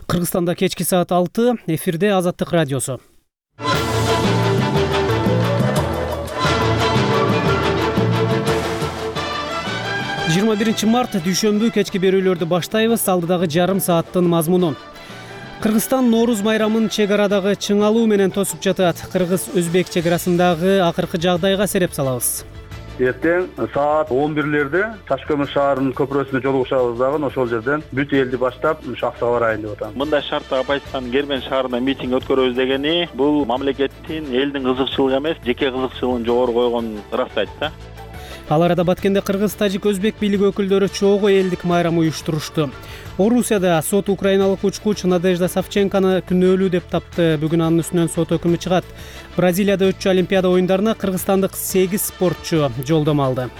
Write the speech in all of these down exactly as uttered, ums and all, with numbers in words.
Кыргызстанда кечки саат алты, эфирде Азаттык радиосу. жыйырма биринчи март дүйшөмбү кечки берүүлөрдү баштайбыз. Алдыдагы жарым сааттын мазмуну. Кыргызстан Нооруз майрамын чек арадагы чыңалуу менен тосуп жатат. Кыргыз-өзбек чек арасындагы акыркы жагдайга сереп салабыз. Эртең саат он бирлерде Ташкөмүр шаарынын көпүрөсүнө жолугушабыз дагы ошол жерден бүт элди баштап Шахсага барайын деп атам. Мындай шартта Абайстан Гермен шаарында митинг өткөрөбүз дегени бул мамлекеттин, элдин кызыкчылыгы эмес, жеке кызыкчылыгын жогору койгон ырастайт да. Ал арада Баткенде кыргыз, тажик, өзбек бийлиги өкүлдөрү чогуу элдик майрам уюштурушту. Орусияда сот украиналык учкуч Надежда Савченкону күнөөлүү деп тапты. Бүгүн анын үстүнөн сот өкүмү чыгат. Бразилияда өтчү Олимпиада оюндарына кыргызстандык сегиз спортчу жолдомо алды.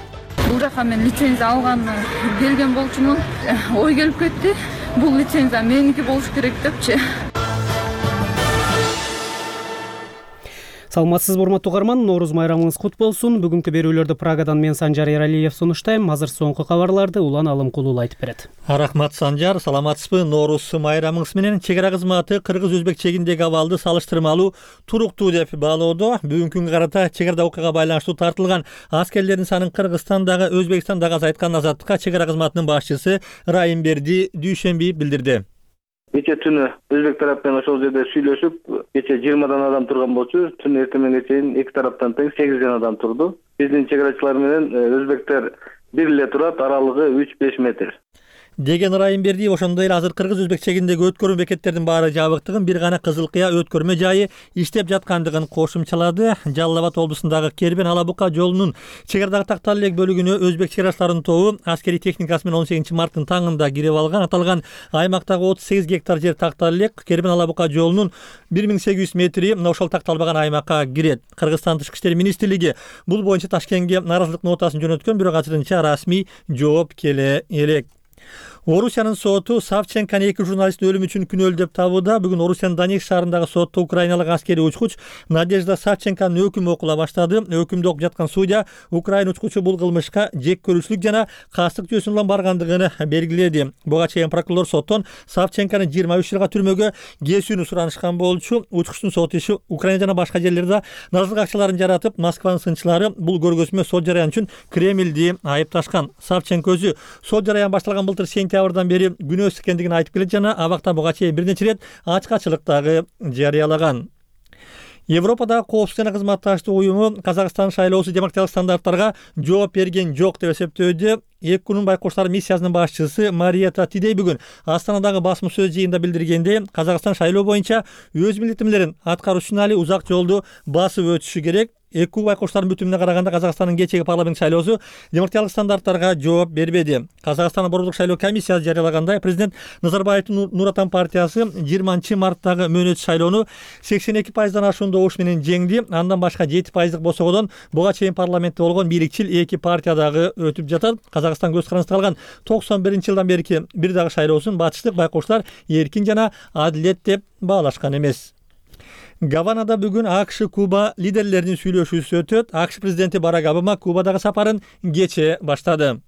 Бул жака мен лицензия алганы келген болчумун. Ой келип кетти. Бул лицензия меники болуш керек депчи. Саламатсызбы урматтуу угарман, Нооруз майрамыңыз кут болсун. Бүгүнкү берүүлөрдү Прагадан мен Санжар Эралиев сунуштайм. Азыр соңку кабарларды Улан Алымкулуу айтып берет. Рахмат Санжар, саламатсызбы? Нооруз майрамыңыз менен чек ара кызматы кыргыз-өзбек чегиндеги абалды салыштырмалуу туруктуу деп баалоодо. Бүгүнкү күнгө карата чек арада окуяга байланыштуу тартылган аскерлердин санын Кыргызстандагы, Өзбекстандагы азайткан Азаттыкка чек ара кызматынын башчысы Райымберди дүйшөмбү билдирди. Кече түнү өзбек тарап менен ошол жерде сүйлөшүп, кече жыйырмадан адам турган болчу. Түн эртең менен чейин эки тараптан тең сегизден адам турду. Биздин чек арачылар менен өзбектер бир эле турат, аралыгы үч беш метр. Деген Райымберди ошондой эле азыр кыргыз-өзбек чегиндеги өткөрмө бекеттердин баары жабыктыгын, бир гана Кызыл Кыя өткөрмө жайы иштеп жаткандыгын кошумчалады. Жалал Абад облусундагы Кербен Алабука жолунун чек арадагы тактал элек бөлүгүнө өзбек чек арачыларынын тобу аскери техникасы менен он сегизинчи марттын таңында кирип алган. Аталган аймактагы отуз сегиз гектар жер тактал элек Кербен Алабука жолунун бир миң сегиз жүз метри ошол такталбаган аймакка кирет. Кыргызстан Тышкы иштер министрлиги бул боюнча Ташкентке нааразылык нотасын жөнөткөн, бирок азырынча расмий жооп келе элек. Орусиянын соту Савченкону эки журналисттин өлүмү үчүн күнөөлүү деп табууда. Бүгүн Орусиянын Донецк шаарындагы сотто украиналык аскери учкуч Надежда Савченконун өкүмү окула баштады. Өкүмдү окуп жаткан судья Украин учкучу бул кылмышка жек көрүүчүлүк жана кастык жүйөсүн улам баргандыгын белгиледи. Буга чейин прокурор соттон Савченкону жыйырма үч жылга түрмөгө кесүүнү суранышкан болчу. Учкучтун сот иши Украина жана башка жерлерде наразылык акчаларын жаратып, Москванын сынчылары бул көргөзмө сот жараяны үчүн Кремлди айыпташкан. Савченко өзү сот жараяны башталган былтыр сентябрдан бери күнөөсүз экендигин айтып келет жана абакта буга чейин бир нече ирет ачкачылык дагы жарыялаган. Европадагы коопсуздук жана кызматташтык уюму Казакстан шайлоосу демократиялык стандарттарга жооп берген жок деп эсептөөдө. Эки күнүн байкоштор миссиясынын башчысы Мариета Тидей бүгүн Астанадагы басма сөз жыйынында билдиргенде, Казакстан шайлоо боюнча өз милдеттемелерин аткаруу үчүн али узак жолду басып өтүшү керек. Эки байкоштардын бүтүнүнө караганда Казакстандын кечеги парламент шайлоосу демократиялык стандарттарга жооп бербеди. Казакстандын борбордук шайлоо комиссиясы жарыялагандай, президент Назарбаевдин Нур Отан партиясы жыйырманчы марттагы мөөнөтсүз шайлоону сексен эки пайыздан ашуун добуш менен жеңди. Андан башка жети пайыздык босогодон буга чейин парламентте болгон бийликчил эки партия дагы өтүп жатат. Казакстан көз карандысында калган токсон биринчи жылдан берки бир дагы шайлоосун батыштык байкоштор эркин жана адилет деп баалашкан эмес. Гаванада бүгүн АКШ Куба лидерлеринин сүйлөшүүсү өтөт. АКШ президенти Барак Обама Кубадагы сапарын кече баштады.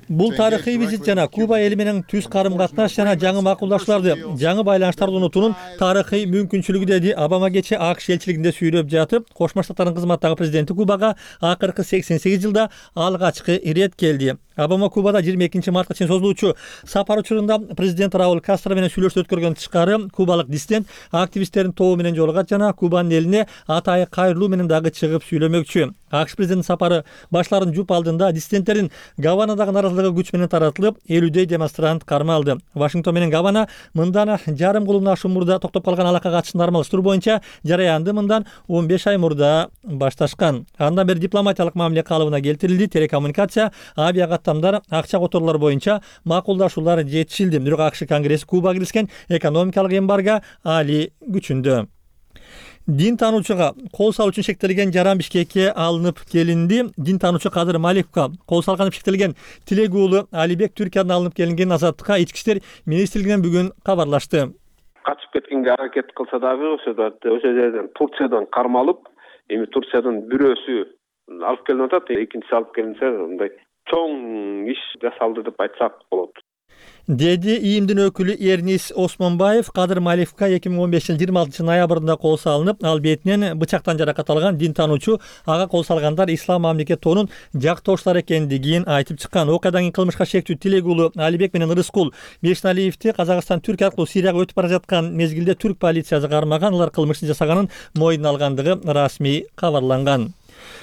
Бул тарыхый визит жана Куба эли менен түз карым катнаш жана жаңы макулдашууларды, жаңы байланыштарды унутуунун тарыхый мүмкүнчүлүгү деди Обама кече АКШ элчилигинде сүйлөп жатып. Кошмо Штаттардын кызматтагы президенти Кубага акыркы сексен сегиз жылда алгачкы ирет келди. Обама Кубада жыйырма экинчи мартка чейин созулуучу сапар учурунда президент Рауль Кастро менен сүйлөшүү өткөргөн тышкары, кубалык диссидент активисттердин тобу менен жолугат жана Кубанын элине атайы кайрылуу менен дагы чыгып сүйлөмөкчү. АКШ президентинин сапары башларын жуп алдында диссиденттердин Гаванадагы наразылыгы күч менен таратылып, элүүдөй демонстрант кармалды. Вашингтон менен Гавана мындан жарым кылымдан ашуун мурда токтоп калган алака катышын нормалдаштыруу боюнча жараянды мындан он беш ай мурда башташкан. Андан бери дипломатиялык мамиле калыбына келтирилди. Телекоммуникация, авиакаттамдар, акча которуулар боюнча макулдашуулар жетишилди. Бирок АКШ Конгресси Кубага киргизген экономикалык эмбарго али күчүндө. Дин таануучуга кол салуу үчүн шектелген жаран Бишкекке алынып келинди. Дин таануучу Кадыр Маликовго кол салганы шектелген Тилек уулу Алибек Түркиядан алынып келинген Азаттыкка ички иштер министрлигинен бүгүн кабарлашты. Качып кеткенге аракет кылса дагы ошо ошо жерден Турциядан кармалып, эми Турциядан бирөөсү алып келип атат, экинчиси алып келинсе, мындай чоң иш жасалды деп айтсак болот. деди ИИМдин өкүлү Эрнис Осмонбаев. Кадыр Малиевка эки миң он бешинчи жылдын жыйырма алтынчы ноябрында кол салынып, ал бетинен бычактан жаракат алган дин таануучу ага кол салгандар ислам мамлекет тоонун жактоочулары экендигин айтып чыккан. Окуядан кийин кылмышка шектүү Тилек уулу Алибек менен Рыскул Бешналиевди Казакстан Түркия аркылуу Сирияга өтүп бара жаткан мезгилде түрк полициясы кармаган. Алар кылмыштын жасаганын мойнуна алгандыгы расмий кабарланган.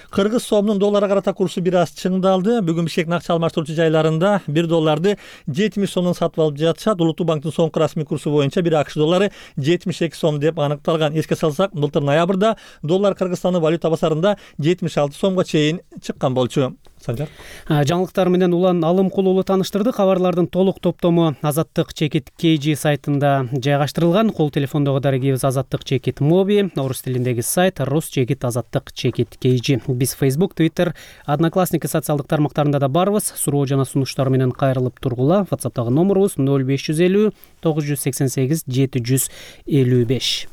Кыргыз сомунун долларга карата курсу бир аз чыңдалды. Бүгүн Бишкек акча алмаштыруучу жайларында бир долларды жетимиш сомдон сатып алып жатышат. Улуттук банктын соңку расмий курсу боюнча бир акш доллары жетимиш эки сом деп аныкталган. Эске салсак, былтыр ноябрда доллар Кыргызстандын валюта базарында жетимиш алты сомго чейин чыккан болчу. Санжар. Жаңылыктар менен Улан Алымкул уулу тааныштырды. Кабарлардын толук топтому Азаттык чекит кей жи сайтында жайгаштырылган. Кол телефондогу дарегибиз Азаттык чекит моби, орус тилиндеги сайт рус чекит азаттык чекит кей жи. Биз Facebook, Twitter, Одноклассники социалдык тармактарында да барбыз. Суроо жана сунуштар менен кайрылып тургула. WhatsApp'тагы номерубуз ноль беш жүз элүү тогуз жүз сексен сегиз жети жүз элүү беш.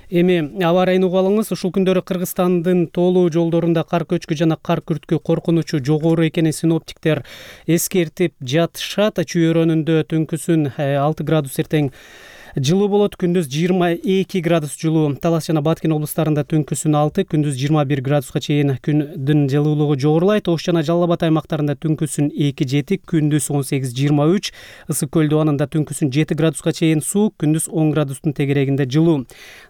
Эми аба ырайын угуп алыңыз. Ушул күндөрү Кыргызстандын тоолуу жолдорунда кар көчкү жана кар күрткү коркунучу жогору экенин синоптиктер эскертип жатышат. Чүйөрөнүндө түнкүсүн алты градус эртең жылуу болот, күндүз жыйырма эки градус жылуу. Талас жана Баткен облустарында түнкүсүн алты, күндүз жыйырма бир градуска чейин күндүн жылуулугу жогорулайт. Ош жана Жалал Абад аймактарында түнкүсүн эки жети, күндүз он сегиз жыйырма үч. Ысык көл дубанында түнкүсүн жети градуска чейин суук, күндүз он градустун тегерегинде жылуу.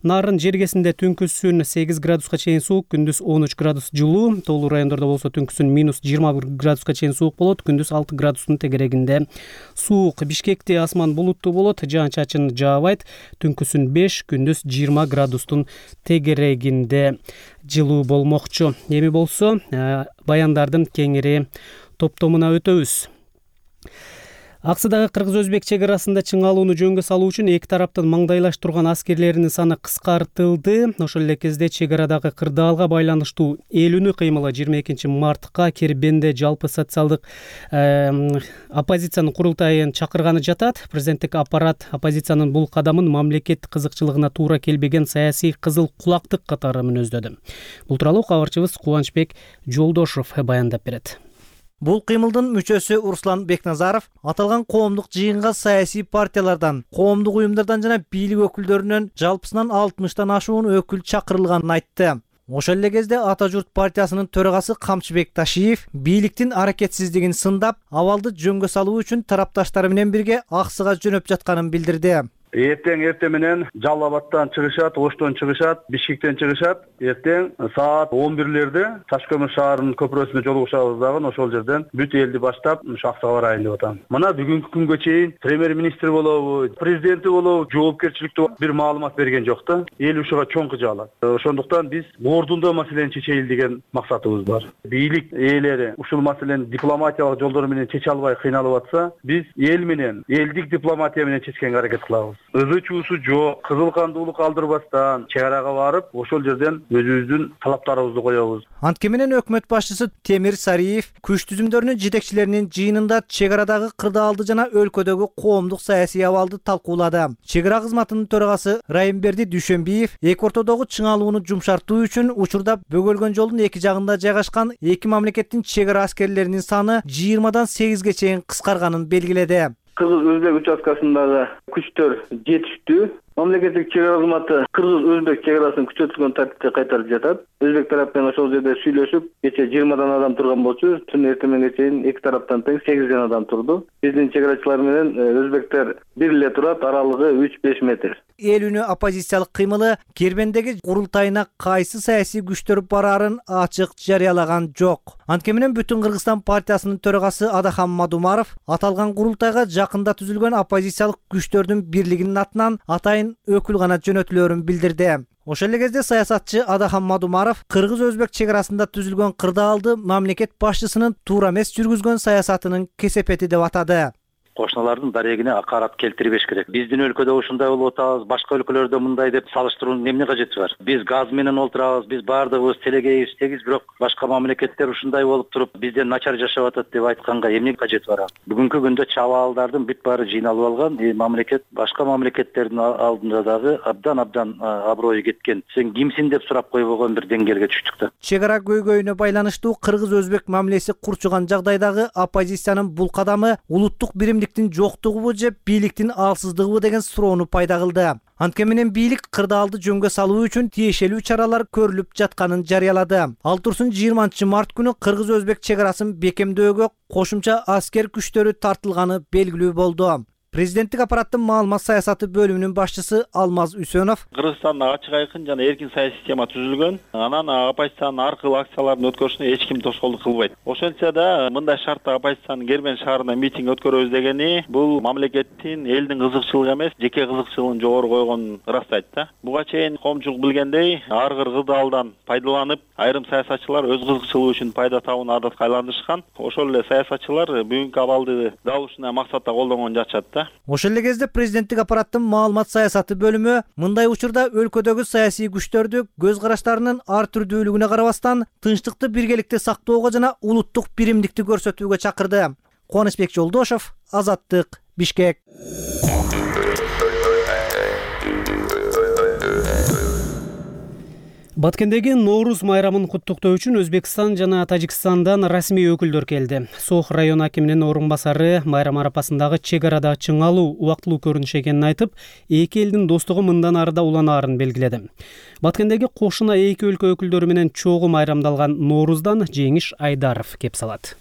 Нарын жергесинде түнкүсүн сегиз градуска чейин суук, күндүз он үч градус жылуу. Тоолуу райондордо болсо түнкүсүн минус жыйырма бир градуска чейин суук болот, күндүз алты градустун тегерегинде суук. Бишкекте асман булуттуу болот, жаан-чачын жаабайт. Түнкүсүн беш, күндүз жыйырма градустун тегерегинде жылуу болмокчу. Эми болсо баяндардын кеңири топтомуна өтөбүз. Аксыдагы кыргыз-өзбек чек арасында чыңалууну жөнгө салуу үчүн эки тараптын маңдайлаштырган аскерлеринин саны кыскартылды. Ошол эле кезде чек арадагы кырдаалга байланыштуу эл үнү кыймылы жыйырма экинчи мартка Кербенде жалпы социалдык оппозициянын курултайын чакырганы жатат. Президенттик аппарат оппозициянын бул кадамын мамлекет кызыкчылыгына туура келбеген саясий кызыл кулактык катары мүнөздөдү. Бул тууралуу кабарчыбыз Кубанычбек Жолдошов баяндап берет. Бул кыймылдын мүчөсү Руслан Бекназаров аталган коомдук жыйынга саясий партиялардан, коомдук уюмдардан жана бийлик өкүлдөрүнөн жалпысынан алтымыштан ашуун өкүл чакырылганын айтты. Ошол эле кезде Ата журт партиясынын төрагасы Камчыбек Ташиев бийликтин аракетсиздигин сындап, абалды жөнгө салуу үчүн тарапташтары менен бирге Аксыга жөнөп жатканын билдирди. Эртең эртең менен Жалал Абадтан чыгышат, Оштон чыгышат, Бишкектен чыгышат. Эртең саат он бирлерде Таш-Көмүр шаарынын көпүрөсүндө жолугушабыз дагы ошол жерден бүт элди баштап Аксыга барайын деп атам. Мына бүгүнкү күнгө чейин премьер-министр болобу, президенти болобу жоопкерчиликтүү бир маалымат берген жок да. Эл ушуга чоң кыжаалат. Ошондуктан биз ордунда маселени чечели деген максатыбыз бар. Бийлик ээлери ушул маселени дипломатиялык жолдор менен чече албай кыйналып атса, биз эл менен, элдик дипломатия менен чечкенге аракет кылабыз. Өзү чуусу жок, кызыл кандуулук алдырбастан чек арага барып, ошол жерден өзүбүздүн талаптарыбызды коебуз. Антке менен өкмөт башчысы Темир Сариев күч түзүмдөрүнүн жетекчилеринин жыйынында чек арадагы кырдаалды жана өлкөдөгү коомдук саясий абалды талкуулады. Чек ара кызматынын төрагасы Райымберди Дүйшөнбиев эки ортодогу чыңалууну жумшартуу үчүн учурда бөгөлгөн жолдун эки жагында жайгашкан эки мамлекеттин чек ара аскерлеринин саны жыйырмадан сегизге чейин кыскарганын белгиледи. Кыргыз-өзбек участкасындагы күчтөр жетиштүү. Мамлекеттик чек ара кызматы кыргыз-өзбек чек арасын күчөтүлгөн тартипте кайтарып жатат. Өзбек тарап менен ошол жерде сүйлөшүп, кече жыйырмадан адам турган болчу, түн эртеңге чейин эки тараптан тең сегизден адам турду. Биздин чек арачылар менен өзбектер бир эле турат, аралыгы үч беш метр. Эл үнү оппозициялык кыймылы Кербендеги курултайына кайсы саясий күчтөр бараарын ачык жарыялаган жок. Антке менен Бүтүн Кыргызстан партиясынын төрагасы Адахан Мадумаров аталган курултайга жакында түзүлгөн оппозициялык күчтөрдүн бирлигинин атынан атайын өкүл гана жөнөтүлөөрүн билдирди. Ошол эле кезде саясатчы Адахан Мадумаров кыргыз-өзбек чек арасында түзүлгөн кырдаалды мамлекет башчысынын туура эмес жүргүзгөн саясатынын кесепети деп атады. кошуналардын дарегине акарат келтирбеш керек. Биздин өлкөдө ушундай болуп атабыз, башка өлкөлөрдө мындай деп салыштыруунун эмне кажети бар? Биз газ менен олтурабыз, биз баардыгыбыз телегейбиз тегиз, бирок башка мамлекеттер ушундай болуп туруп бизден начар жашап атат деп айтканга эмне кажети бар? Бүгүнкү күндө чабаалдардын бүт баары жыйналып алган, мамлекет башка мамлекеттердин алдында дагы абдан абдан аброю кеткен. Сен кимсиң деп сурап койбогон бир деңгээлге түштүк да. Чек ара көйгөйүнө байланыштуу кыргыз-өзбек мамилеси курчуган жагдайдагы оппозициянын бул кадамы улуттук биримдиктин жоктугубу же бийликтин алсыздыгыбы деген суроону пайда кылды. Анткени менен бийлик кырдаалды жөнгө салуу үчүн тиешелүү чаралар көрүлүп жатканын жарыялады. Ал турсун жыйырманчы март күнү кыргыз-өзбек чек арасын бекемдөөгө кошумча аскер күчтөрү тартылганы белгилүү болду. Президенттик аппараттын маалымат саясаты бөлүмүнүн башчысы Алмаз Үсөнов Кыргызстанда ачык айкын жана эркин саясий система түзүлгөн. Анан оппозициянын ар кыл акциялардын өткөрүшүнө эч ким тоскоолдук кылбайт. Ошентсе да мындай шартта оппозициянын Кербен шаарында митинг өткөрөбүз дегени бул мамлекеттин элдин кызыкчылыгы эмес, жеке кызыкчылыгын жогору койгонун ырастайт да. Буга чейин коомчулук билгендей, ар кыр кырдаалдан пайдаланып, айрым саясатчылар өз кызыкчылыгы үчүн пайда табууну адатка айландырышкан. Ошол эле саясатчылар бүгүнкү абалды дал ушундай максатта колдонгон жатышат да. Ошол эле кезде президенттик аппараттын маалымат саясаты бөлүмү мындай учурда өлкөдөгү саясий күчтөрдү көз караштарынын ар түрдүүлүгүнө карабастан тынчтыкты биргеликте сактоого жана улуттук биримдикти көрсөтүүгө чакырды. Кубанычбек Жолдошов, Азаттык, Бишкек. Баткендеги Нооруз майрамын куттуктоо үчүн Өзбекстан жана Тажикстандан расмий өкүлдөр келди. Сох район акиминин орун басары майрам арапасындагы чек арада чыңалуу убактылуу көрүнүш экенин айтып, эки элдин достугу мындан ары да уланаарын белгиледи. Баткендеги кошуна эки өлкө өкүлдөрү менен чогуу майрамдалган Нооруздан Жеңиш Айдаров кеп салат.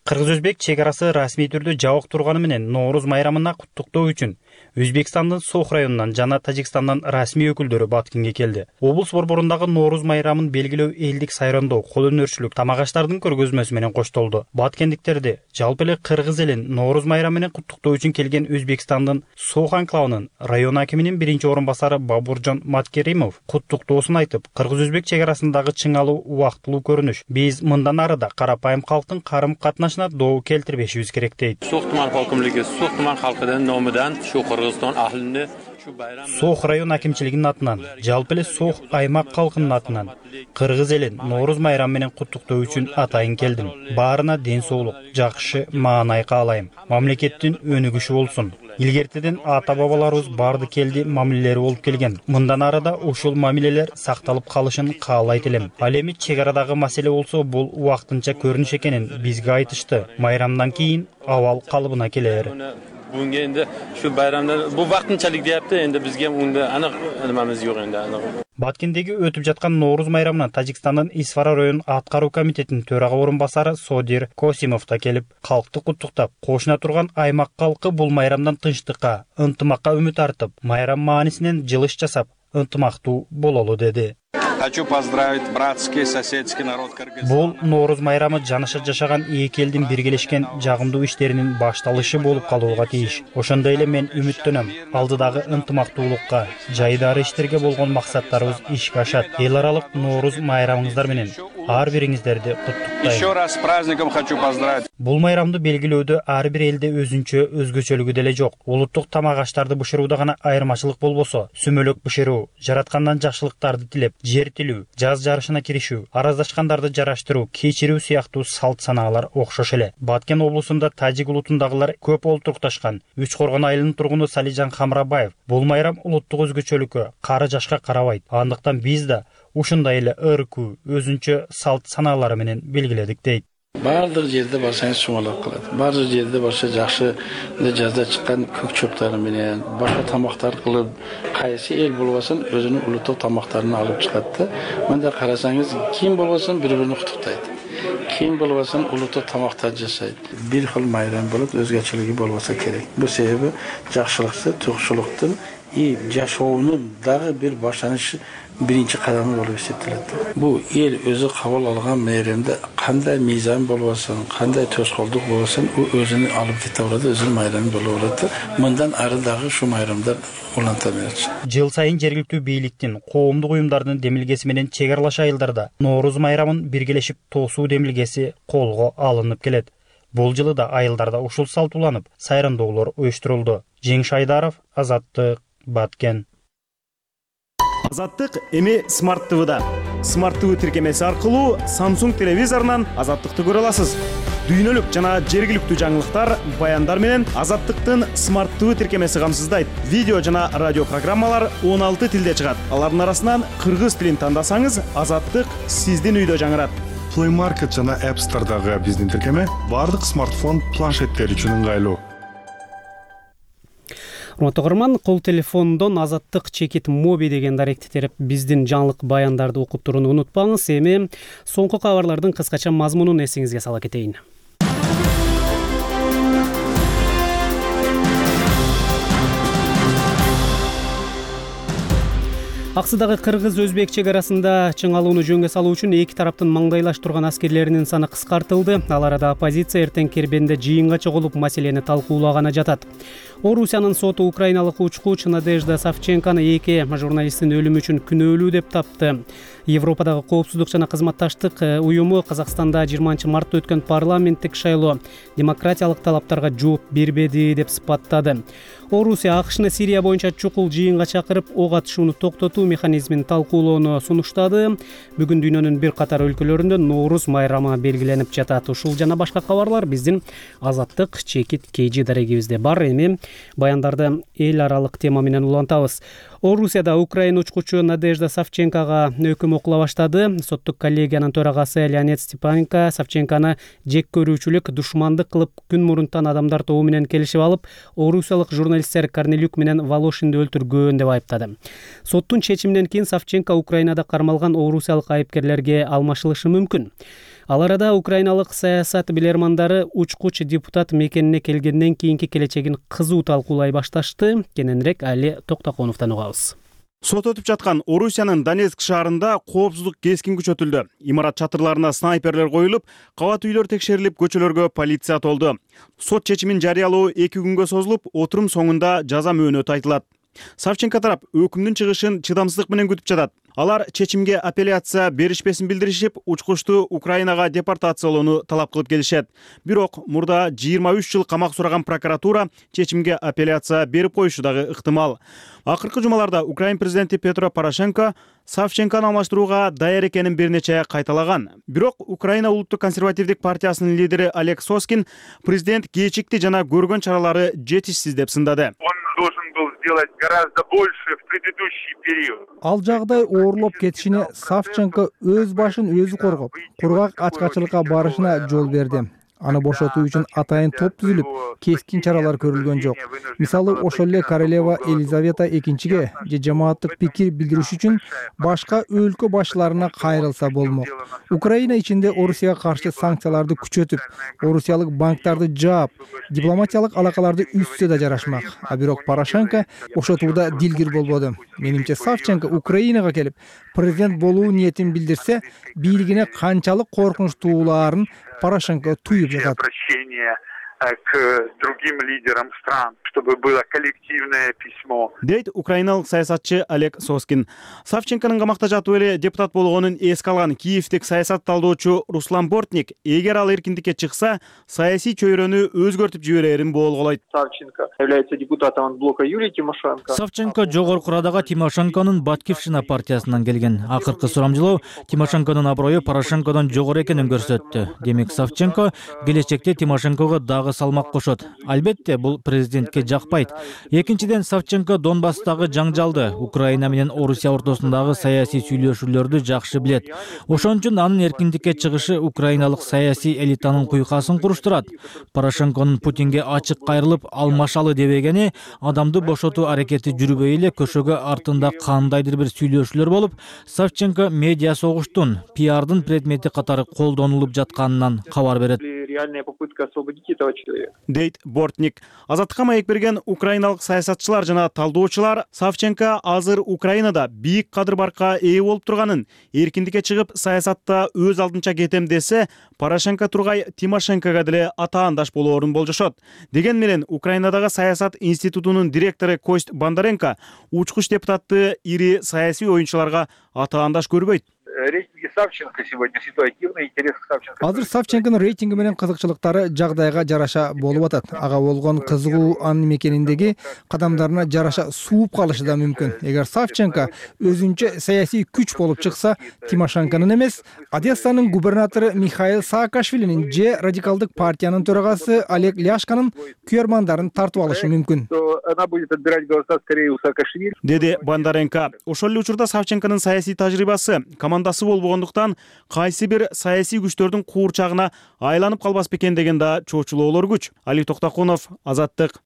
Кыргыз-өзбек чек арасы расмий түрдө жабык турганы менен Нооруз майрамына куттуктоо үчүн Өзбекстандын Сох районунан жана Тажикстандан расмий өкүлдөрү Баткенге келди. Облус борборундагы Нооруз майрамын белгилөө элдик сайрандоо, кол өнөрчүлүк, тамак аштардын көргөзмөсү менен коштолду. Баткендиктерди жалпы эле кыргыз элин Нооруз майрамы менен куттуктоо үчүн келген Өзбекстандын Сох анклавынын район акиминин биринчи орун басары Бабуржан Маткеримов куттуктоосун айтып, кыргыз-өзбек чек арасындагы чыңалуу убактылуу көрүнүш биз мындан ары да карапайым калктын карым катнашына доо келтирбешибиз керек дейт. Сох туман хокимлиги, Сох туман халкынын номудан шу Кыргызстан ахлини Сох район акимчилигинин атынан, жалпы эле Сох аймак калкынын атынан кыргыз элин Нооруз майрамы менен куттуктоо үчүн атайын келдим. Баарына ден соолук, жакшы маанай каалайм. Мамлекеттин өнүгүшү болсун. Илгертеден ата-бабаларыбыз барды келди мамилелери болуп келген. Мындан ары да ушул мамилелер сакталып калышын каалайт элем. Ал эми чек арадагы маселе болсо, бул убактынча көрүнүш экенин бизге айтышты. Майрамдан кийин абал калыбына келер. Bunga endi shu bayramda bu vaqtinchalik deyapti, endi bizga unda aniq nimamiz yo'q endi aniq. Баткендеги өтүп жаткан Нооруз майрамына Тажикстандын Исфара район аткаруу комитетинин төрага орун басары Содир Косимов да келип, калкты куттуктап, кошуна турган аймак калкы бул майрамдан тынчтыкка, ынтымакка үмүт артып, майрам маанисинен жылыш жасап, ынтымактуу бололу деди. Хочу поздравить братский соседский народ Кыргызстана. Бул Нооруз майрамы жаныша жашаган эки элдин биргелешкен жагымдуу иштеринин башталышы болуп калууга тийиш. Ошондой эле мен үмүттөнөм. Алдыдагы ынтымактуулукка, жайдары иштерге болгон максаттарыбыз ишке ашат. Эл аралык Нооруз майрамыңыздар менен ар бириңиздерди куттуктайм. Еще раз с праздником хочу поздравить. Бул майрамды белгилөөдө ар бир элде өзүнчө өзгөчөлүгү деле жок. Улуттук тамак аштарды бышырууда гана айырмачылык болбосо, сүмөлөк бышыруу, жараткандан жакшылыктарды тилеп, жер тилүү, жаз жарышына киришүү, араздашкандарды жараштыруу, кечирүү сыяктуу салт санаалар окшош эле. Баткен облусунда тажик улутундагылар көп олтурукташкан. Үч Коргон айылынын тургуну Салижан Хамрабаев бул майрам улуттук өзгөчөлүккө, кары жашка карабайт. Андыктан биз да ушундай эле ыркуу, өзүнчө салт санаалары менен белгиледик дейт. Бардыр жерде барсаңыз чумалап калат. Бардыр жерде барса жакшы жазда чыккан көк чөптөр менен, башка тамактар кылып, кайсы эл болбосун өзүнүн улуттук тамактарын алып чыгат да. Мында карасаңыз ким болбосун бири-бирин куттуктайт. Ким болбосун улуттук тамактар жасайт. Бир кыл майрам болуп, өзгөчөлүгү болбосо керек. Бул себеби жакшылыкты, тукшулуктун и жашоонун дагы бир баштанышы биринчи кадамы болуп эсептелет. Бу эл өзү кабыл алган майрамда кандай мыйзам болбосун, кандай тоскоолдук болбосун, у өзүнү алып кете алат, өзүнүн майрамы болуп алат. Мындан ары дагы ушу майрамдар уланта берет. Жыл сайын жергиликтүү бийликтин, коомдук уюмдардын демилгеси менен чек аралаш айылдарда Нооруз майрамын биргелешип тоосуу демилгеси колго алынып келет. Бул жылы да айылдарда ушул салт уланып, сайрандоолор уюштурулду. Жеңиш Айдаров, Азаттык, Баткен. Азаттык эми Smart ти ви-да. Smart ти ви тиркемеси аркылуу Samsung телевизорунан Азаттыкты көрө аласыз. Дүйнөлүк жана жергиликтүү жаңылыктар, баяндар менен Азаттыктын Smart ти ви тиркемеси камсыздайт. Видео жана радио программалар он алты тилде чыгат. Алардын арасынан кыргыз тилин тандасаңыз, Азаттык сиздин үйдө жаңырат. Play Market жана App Store'дагы биздин тиркеме бардык смартфон, планшеттер үчүн ыңгайлуу. Урматтуу көрөрман, кол телефондон Азаттык чекит моби деген даректи терип биздин жаңылык баяндарды окуп турууну унутпаңыз. Эми соңку кабарлардын кыскача мазмунун эсиңизге сала кетейин. Аксыдагы кыргыз-өзбек чек арасында чыңалууну жөнгө салуу үчүн эки тараптын маңдайлаштырган аскерлеринин саны кыскартылды. Ал арада оппозиция эртең Кербенде жыйынга чогулуп маселени талкуулаганы жатат. Орусиянын соту украиналык учкуч Надежда Савченканы эки журналисттин өлүмү үчүн күнөөлүү деп тапты. Европадагы коопсуздук жана кызматташтык уюму Казакстанда жыйырманчы мартта өткөн парламенттик шайлоо демократиялык талаптарга жооп бербеди деп сыпаттады. Орусия АКШны Сирия боюнча чукул жыйынга чакырып, ок атышууну токтотуу механизмин талкуулоону сунуштады. Бүгүн дүйнөнүн бир катар өлкөлөрүндө Ноорус майрамы белгиленип жатат. Ушул жана башка кабарлар биздин Азаттык чекит кейжи дарегибизде бар. Эми баяндарды эл аралык тема менен улантабыз. Орусияда Украина учкучу Надежда Савченкага өкүм окула баштады. Соттук коллегиянын төрагасы Леонид Степаненко Савченканы жек көрүүчүлүк, душмандык кылып күн мурунтан адамдар тобу менен келишип алып, орусиялык журналисттер Корнелюк менен Волошинди өлтүргөн деп айыптады. Соттун чечиминен кийин Савченко Украинада кармалган орусиялык айыпкерлерге алмашылышы мүмкүн. Ал арада украиналык саясат билермандары учкуч депутат мекенине келгенден кийинки келечегин кызуу талкуулай башташты. Кененирээк Али Токтоконовдон угабыз. Сот өтүп жаткан Орусиянын Донецк шаарында коопсуздук кескин күчөтүлдү. Имарат чатырларына снайперлер коюлуп, кабат үйлөр текшерилип, көчөлөргө полиция толду. Сот чечимин жарыялоо эки күнгө созулуп, отурум соңунда жаза мөөнөтү айтылат. Савченко тарап өкүмдүн чыгышын чыдамсыздык менен күтүп жатат. Алар чечимге апелляция беришпесин билдиришип, учкучту Украинага депортациялоону талап кылып келишет. Бирок мурда жыйырма үч жыл камак сураган прокуратура чечимге апелляция берип коюшу дагы ыктымал. Акыркы жумаларда Украин президенти Петро Порошенко Савченканы алмаштырууга даяр экенин бир нече кайталаган. Бирок Украина улуттук консервативдик партиясынын лидери Олег Соскин президент кечикти жана көргөн чаралары жетишсиз деп сындады. Гораздо больше в предыдущий период. Ал жагдай оорлоп кетишине Савченко өз башын өзү коргоп, кургак ачкачылыкка барышына жол берди. Аны бошотуу үчүн атайын топ түзүлүп, кескин чаралар көрүлгөн жок. Мисалы, ошол эле королева Елизавета экинчиге же жамааттык пикир билдириш үчүн башка өлкө башчыларына кайрылса болмок. Украина ичинде Орусияга каршы санкцияларды күчөтүп, орусиялык банктарды жаап, дипломатиялык алакаларды үзсө да жарашмак. А бирок Порошенко бошотууда дилгир болбоду. Менимче Савченко Украинага келип, президент болуу ниетин билдирсе, бийлигине канчалык коркунучтууларын Порошенко туюп жатат. К другим лидерам стран, чтобы было коллективное письмо. Дейт украиналык саясатчы Олег Соскин. Савченконун камакта жатып эле депутат болгонун эске алган киевтик саясат талдоочу Руслан Бортник, эгер ал эркиндикке чыкса, саясий чөйрөнү өзгөртүп жиберерин боолголойт. Савченко является депутатом от блока Юлии Тимошенко. Савченко жогорку Радага Тимошенконун Батькивщина партиясынан келген. Акыркы сурамжылоо Тимошенконун аброю Порошенкодон жогору экенин көрсөттү. Демек Савченко келечекте Тимошенкого дагы салмак кошот. Албетте, бул президентке жакпайт. Экинчиден, Савченко Донбасстагы жаңжалды, Украина менен Орусия ортосундагы саясий сүйлөшүүлөрдү жакшы билет. Ошон үчүн анын эркиндикке чыгышы украиналык саясий элитанын куйкасын куруштурат. Порошенконун Путинге ачык кайрылып алмашалы дебегени, адамды бошотуу аракети жүрбөй эле көшөгө артында кандайдыр бир сүйлөшүүлөр болуп, Савченко медиа согуштун, пиардын предмети катары колдонулуп жатканынан кабар берет. Реальная попытка освободить этого человека. Дейт Бортник. Азаттыкка маек берген украиналык саясатчылар жана талдоочулар Савченко азыр Украинада бийик кадыр-баркка ээ болуп турганын, эркиндикке чыгып саясатта өз алдынча кетем десе, Порошенко тургай Тимошенкога деле атаандаш болоорун болжошот. Деген менен Украинадагы саясат институтунун директору Кость Бондаренко учкуч депутатты ири саясий оюнчуларга атаандаш көрбөйт. Речь Савченко сегодня ситуативный интерес к Савченко. Азыр Савченконун рейтинги менен кызыкчылыктары жагдайга жараша болуп атат. Ага болгон кызыгуу анын мекениндеги кадамдарына жараша сууп калышы да мүмкүн. Эгер Савченко өзүнчө саясий күч болуп чыкса, Тимошенконун эмес, Одессанын губернатору Михаил Саакашвилинин же радикалдык партиянын төрагасы Олег Ляшканын күйөрмандарын тартып алышы мүмкүн. Она будет отбирать голоса скорее у Саакашвили. Деди Бондаренко. Ошол эле учурда Савченконун саясий тажрыйбасы, командасы болбогондуктан кайсы бир саясий күчтөрдүн куурчагына айланып калбас бекен деген да чоочулоолор күч. Али Токтакунов, Азаттык.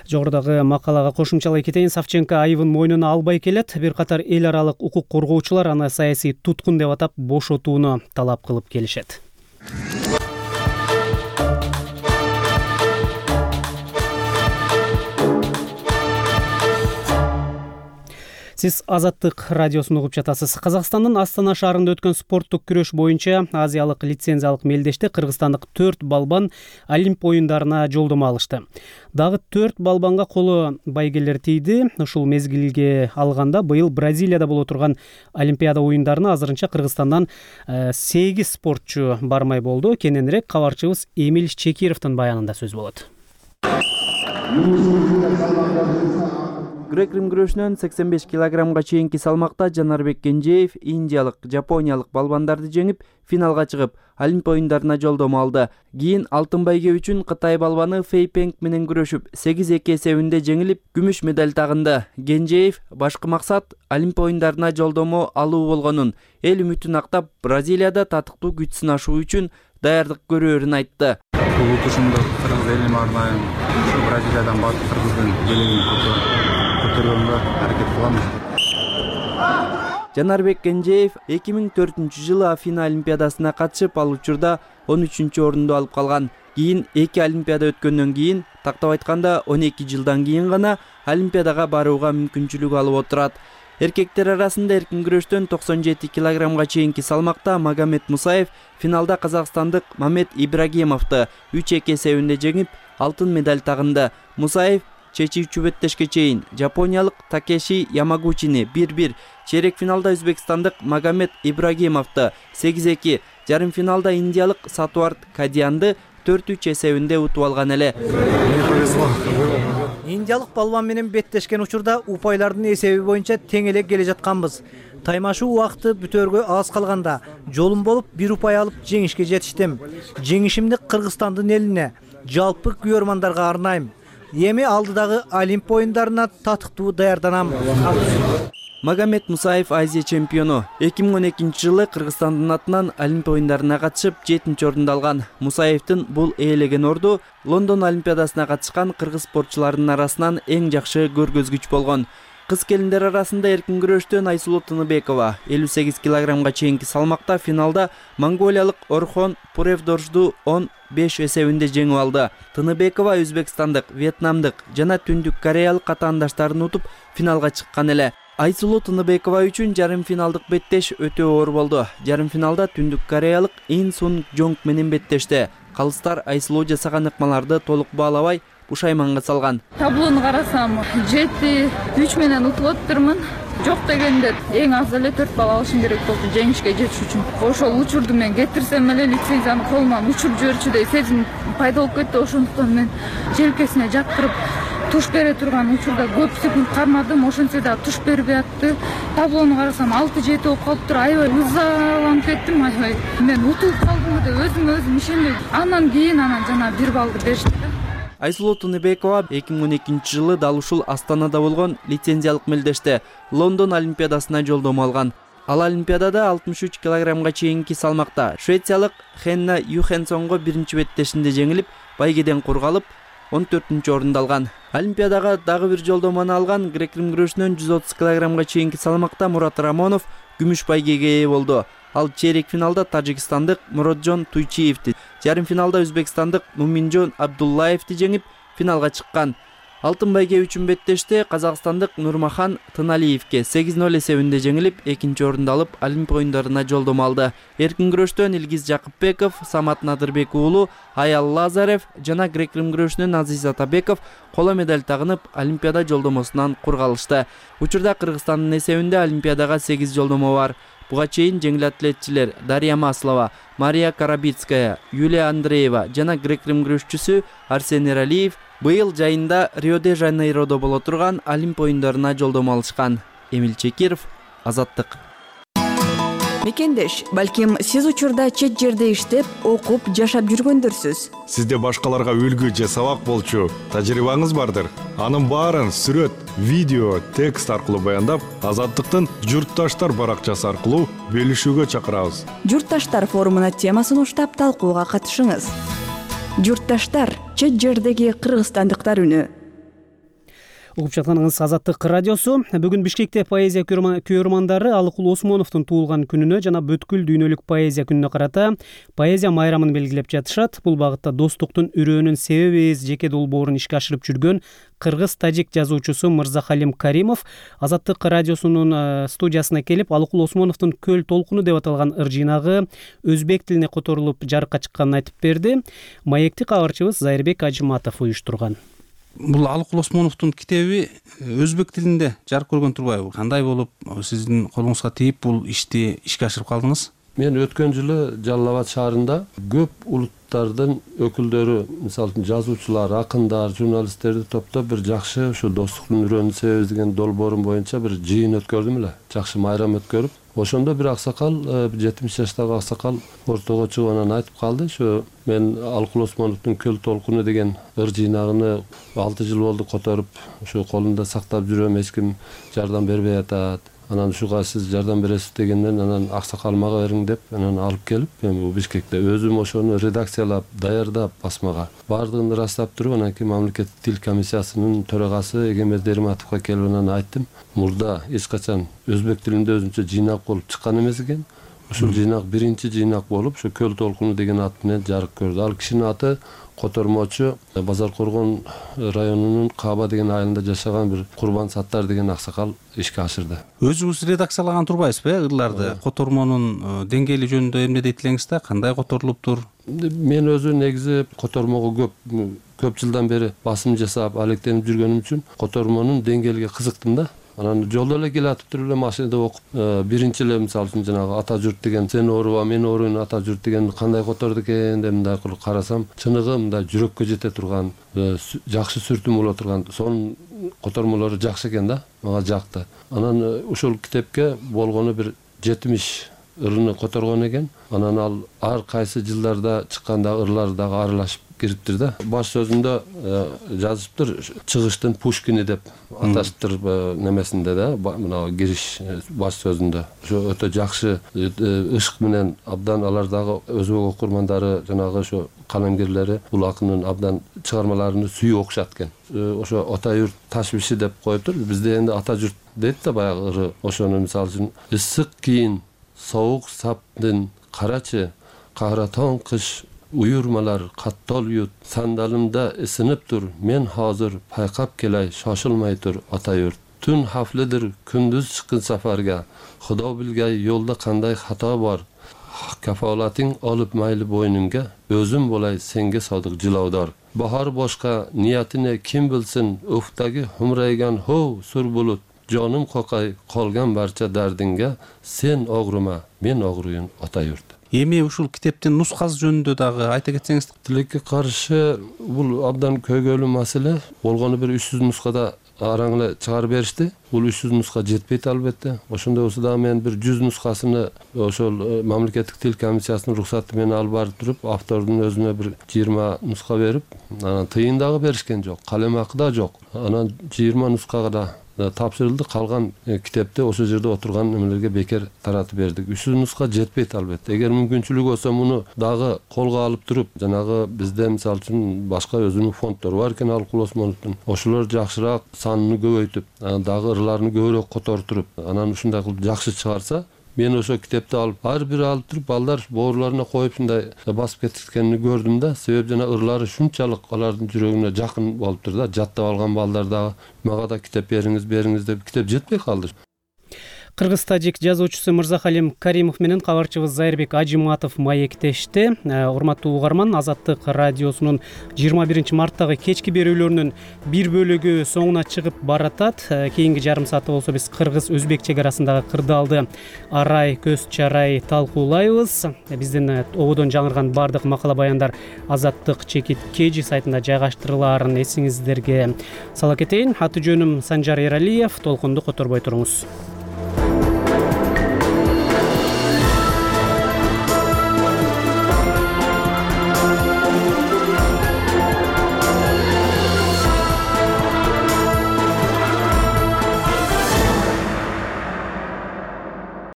Жогорудагы макалага кошумчалай кетейин. Савченко айыбын мойнуна албай келет. Бир катар эл аралык укук коргоочулар аны саясий туткун деп атап бошотууну талап кылып келишет. Сиз Азаттык радиосун угуп жатасыз. Казакстандын Астана шаарында өткөн спорттук күрөш боюнча Азиялык лицензиялык мелдеште кыргызстандык төрт балбан Олимп оюндарына жолдомо алышты. Дагы төрт балбанга колу байгелер тийди. Ушул мезгилге алганда быйыл Бразилияда боло турган Олимпиада оюндарына азырынча Кыргызстандан сегиз спортчу бармай болду. Кененирээк кабарчыбыз Эмиль Чекировдун баянында сөз болот. Грек-рим күрөшүнөн сексен беш килограммга чейинки салмакта Жанарбек Кенжеев индиялык, жапониялык балбандарды жеңип, финалга чыгып, Олимп оюндарына жолдомо алды. Кийин алтын байге үчүн Кытай балбаны Фэй Пенг менен күрөшүп, сегиз эки эсебинде жеңилип, күмүш медаль тагынды. Кенжеев башкы максат Олимп оюндарына жолдомо алуу болгонун, эл үмүтүн актап, Бразилияда татыктуу күч сынашуу үчүн даярдык көрөөрүн айтты. Бул утушумду кыргыз элиме арнайым, ушу Бразилиядан барып кыргыздын белегин көтөргөнгө аракет кылабыз. Жанарбек Кенжеев эки миң төртүнчү жылы Афина олимпиадасына катышып, ал учурда он үчүнчү орунду алып калган. Кийин эки олимпиада өткөндөн кийин, тактап айтканда он эки жылдан кийин гана олимпиадага барууга мүмкүнчүлүк алып отурат. Эркектер арасында эркин күрөштөн токсон жети килограммга чейинки салмакта Магомед Мусаев финалда казакстандык Мамет Ибрагимовду үч эки эсебинде жеңип, алтын медаль тагынды. Мусаев чечүүчү беттешке чейин жапониялык Такеши Ямагучини бир бир, чейрек финалда өзбекстандык Магомед Ибрагимовду сегиз эки, жарым финалда индиялык Сатуарт Кадиянды төрт үч эсебинде утуп алган эле. Индиялык балбан менен беттешкен учурда упайлардын эсеби боюнча тең эле келе жатканбыз. Таймашуу убакыты бүтөргө аз калганда жолум болуп бир упай алып жеңишке жетиштим. Жеңишимди Кыргызстандын элине, жалпы күйөрмандарга арнайм. Эми алдыдагы Олимп оюндарына татыктуу даярданам. Магомед Мусаев Азия чемпиону. эки миң он экинчи жылы Кыргызстандын атынан Олимп оюндарына катышып жетинчи орунду алган. Мусаевдин бул ээлеген орду Лондон олимпиадасына катышкан кыргыз спортчуларынын арасынан эң жакшы көргөзгүч болгон. Кыз келиндер арасында эркин күрөштөн Айсулуу Тыныбекова элүү сегиз килограммга чейинки салмакта финалда монголиялык Орхон Пуревдоржду он беш эсебинде жеңип алды. Тыныбекова өзбекстандык, вьетнамдык жана түндүк кореялык катаандаштарын утуп финалга чыккан эле. Айсулуу Тыныбекова үчүн жарым финалдык беттеш өтө оор болду. Жарым финалда түндүк кореялык Ин Сун Жонг менен беттешти. Калыстар Айсулуу жасаган ыкмаларды толук баалабай пушайманга салган. Таблону карасам, жети үч менен утуп отурмун. Жок дегенде эң аз эле төрт балл алышым керек болду жеңишке жетиш үчүн. Ошол учурду мен кетирсем эле лицензияны колуман учуруп жиберчүдөй сезим пайда болуп кетти. Ошондуктан мен желкесине жаткырып туш бере турган учурда көп секунд кармадым. Ошентсе да туш бербей атты. Таблону карасам алты жети болуп калыптыр. Аябай ызаланып кеттим. Аябай мен утулуп калдым деп өзүмө өзүм ишенбей. Андан кийин анан жана бир баллды беришти. Айсулуу Тыныбекова эки миң он экинчи жылы дал ушул Астанада болгон лицензиялык мелдеште Лондон олимпиадасына жолдомо алган. Ал олимпиадада алтымыш үч килограммга чейинки салмакта швециялык Хенна Юхенсонго биринчи беттешинде жеңилип, байгеден кургалып, он төртүнчү орунду алган. Олимпиадага дагы бир жолдомону алган грек-рим күрөшүнөн жүз отуз килограммга чейинки салмакта Мурат Рамонов күмүш байгеге ээ болду. Ал чейрек финалда тажикстандык Муроджон Туйчиевди, жарым финалда өзбекстандык Муминжон Абдуллаевди жеңип, финалга чыккан. Алтын байге үчүн беттеште казакстандык Нурмахан Тыналиевге сегиз ноль эсебинде жеңилип, экинчи орунду алып, Олимп оюндарына жолдомо алды. Эркин күрөштөн Илгиз Жакыпбеков, Самат Надырбек уулу, Аял Лазарев жана грек-рим күрөшүнөн Азиз Атабеков коло медаль тагынып, Олимпиада жолдомосунан кургалышты. Учурда Кыргызстандын эсебинде Олимпиадага сегиз жолдомо бар. Буга чейин жеңил атлетчилер Дарья Маслова, Мария Карабицкая, Юлия Андреева жана грек-рим күрөшчүсү Арсений Ралиев быйыл жайында Рио-де-Жанейродо боло турган Олимп оюндарына жолдомо алышкан. Эмил Чекиров, Азаттык. Мекендеш, балким сиз учурда чет жерде иштеп, окуп, жашап жүргөндөрсүз. Сизде башкаларга үлгү же сабак болчу тажрыйбаңыз бардыр. Анын баарын сүрөт, видео, текст аркылуу баяндап, Азаттыктын Журтташтар баракчасы аркылуу бөлүшүүгө чакырабыз. Журтташтар форумуна темасын уштап талкууга катышыңыз. Журтташтар, чет жердеги кыргызстандыктар үнү. Угуп жатканыңыз Азаттык радиосу. Бүгүн Бишкекте поэзия көрөрмандары Алыкул Осмоновдун туулган күнүнө жана бүткүл дүйнөлүк поэзия күнүнө карата поэзия майрамын белгилеп жатышат. Бул багытта достуктун үрөөнүн себебиз жеке долбоорун ишке ашырып жүргөн кыргыз-тажик жазуучусу Мырзахалим Каримов Азаттык радиосунун студиясына келип, Алыкул Осмоновдун Көл толкуну деп аталган ыр жыйнагы өзбек тилине которулуп жарыкка чыкканын айтып берди. Маекти кабарчыбыз Зайырбек Ажыматов уюштурган. Бул Алыкул Осмоновдун китеби өзбек тилинде жарык көргөн турбайбы? Кандай болуп сиздин колуңузга тийип бул ишти ишке ашырып калдыңыз? Мен өткөн жылы Жалал Абад шаарында көп улуттардын өкүлдөрү, мисалы үчүн жазуучулар, акындар, журналисттерди топтоп бир жакшы ушу достуктун үрөөнүн себеби деген долбоорум боюнча бир жыйын өткөрдүм эле. Жакшы майрам өткөрүп, ошондо бир аксакал, жетимиш жаштагы аксакал ортого чыгып анан айтып калды, ушу мен Алыкул Осмоновдун Көл толкуну деген ыр жыйнагыны алты жыл болду которуп, ушу колумда сактап жүрөм, эч ким жардам бербей атат. Анан ушуга сиз жардам бересиз дегенден анан аксакал мага бериң деп анан алып келип, мен бул Бишкекте өзүм ошону редакциялап, даярдап басмага бардыгын ырастап туруп, анан кийин мамлекеттик тил комиссиясынын төрагасы Эгембер Дерматовго келип анан айттым, мурда эч качан өзбек тилинде өзүнчө жыйнак болуп чыккан эмес экен. Ушул жыйнак биринчи жыйнак болуп, ушу Көл толкуну деген ат менен жарык көрдү. Ал кишинин аты котормочу Базар Коргон районунун Каба деген айылында жашаган бир Курбан Саттар деген аксакал ишке ашырды. Өзүңүз редакциялаган турбайсызбы ырларды? Котормонун деңгээли жөнүндө эмне дейт элеңиз да? Кандай которулуптур? Мен өзү негизи котормого көп көп жылдан бери басым жасап, алектенип жүргөнүм үчүн котормонун деңгээлиге кызыктым да. Анан жолдо эле келатып туруп эле машинада окуп, биринчи эле мисалы үчүн жанагы ата журт деген, сен ооруба, мен ооруйн ата журт деген кандай которду экен деп мындай кылып карасам, чыныгы мындай жүрөккө жете турган, жакшы сүртүм боло турган, сонун котормолору жакшы экен да, мага жакты. Анан ушул китепке болгону бир жетимиш ырыны которгон экен. Анан ал ар кайсы жылдарда чыкканда ырлар дагы аралашып кириптир да. Баш сөзүндө жазыптыр, чыгыштын Пушкини деп аташыптыр немесинде да, мына кириш баш сөзүндө. Ошо өтө жакшы ышык менен абдан алар дагы өзбек окурмандары, жанагы ошо калемгерлери бул акындын абдан чыгармаларын сүйүп окушат экен. Ошо ата юрт ташбиши деп коюптур. Бизде энди ата журт дейт да баягы ыры. Ошону мисалы үчүн ысык кийин, соук саптын карачы, кагратон кыш уюрмалар каттол ют, сандалымда ысынып тур, мен азыр пайкап келай, шошулмай тур ата юрт. Түн хафлыдыр, күндүз чыккын сафарга, Кудо билгей жолдо кандай хата бар. Кафалатың алып майлы бойнумга, өзүм болай сенге садык жылаудар. Bahar boshqa, niyatini kim bilsin, ufqdagi humraygan hov sur bulut. Jonim qoqay, qolgan barcha dardinga, sen og'rima, men og'ruyun ota yurt. Эми ушул китептин нускасы жөнүндө дагы айта кетсеңиз. Тилекке каршы бул абдан көйгөйлүү маселе. Болгону бир үч жүз нускада араң эле чыгарып беришти. Бул үч жүз нуска жетпейт албетте. Ошондой болсо да мен бир жүз нускасыны ошол мамлекеттик тил комиссиясынын уруксаты менен алып барып туруп, автордун өзүнө бир жыйырма нуска берип, анан тыйын дагы беришкен жок, калем акы да жок. Анан жыйырма нускага да тапшырылды, калган китепти ошол жерде отурган немелерге бекер таратып бердик. үч жүз нуска жетпейт албетте. Эгер мүмкүнчүлүк болсо муну дагы колго алып туруп, жанагы бизде мисалы үчүн башка өзүнүн фонддору бар экен Алыкул Осмоновдун. Ошолор жакшыраак санын көбөйтүп, дагы ырларын көбүрөөк которуп, анан ушундай кылып жакшы чыгарса, мен ошо китепти алып, ар бир алып туруп, балдар боорларына коюп ушундай басып кетишкенин көрдүм да. Себеби жана ырлары шунчалык алардын жүрөгүнө жакын болуптур да. Жаттап алган балдар дагы мага да китеп бериңиз, бериңиз деп китеп жетпей калды. Кыргыз-тажик жазуучусу Мырзахалим Каримов менен кабарчыбыз Зайырбек Ажиматов маектешти. Урматтуу угарман, Азаттык радиосунун жыйырма биринчи марттагы кечки берүүлөрүнүн бир бөлүгү соңуна чыгып баратат. Кийинки жарым саатта болсо биз кыргыз-өзбек чек арасындагы кырдаалды арай көз чарай талкуулайбыз. Биздин ободон жаңырган бардык макала баяндар Азаттык чекит кежи сайтында жайгаштырылаарын эсиңиздерге сала кетейин. Аты жөнүм Санжар Эралиев. Толкунду которбой туруңуз.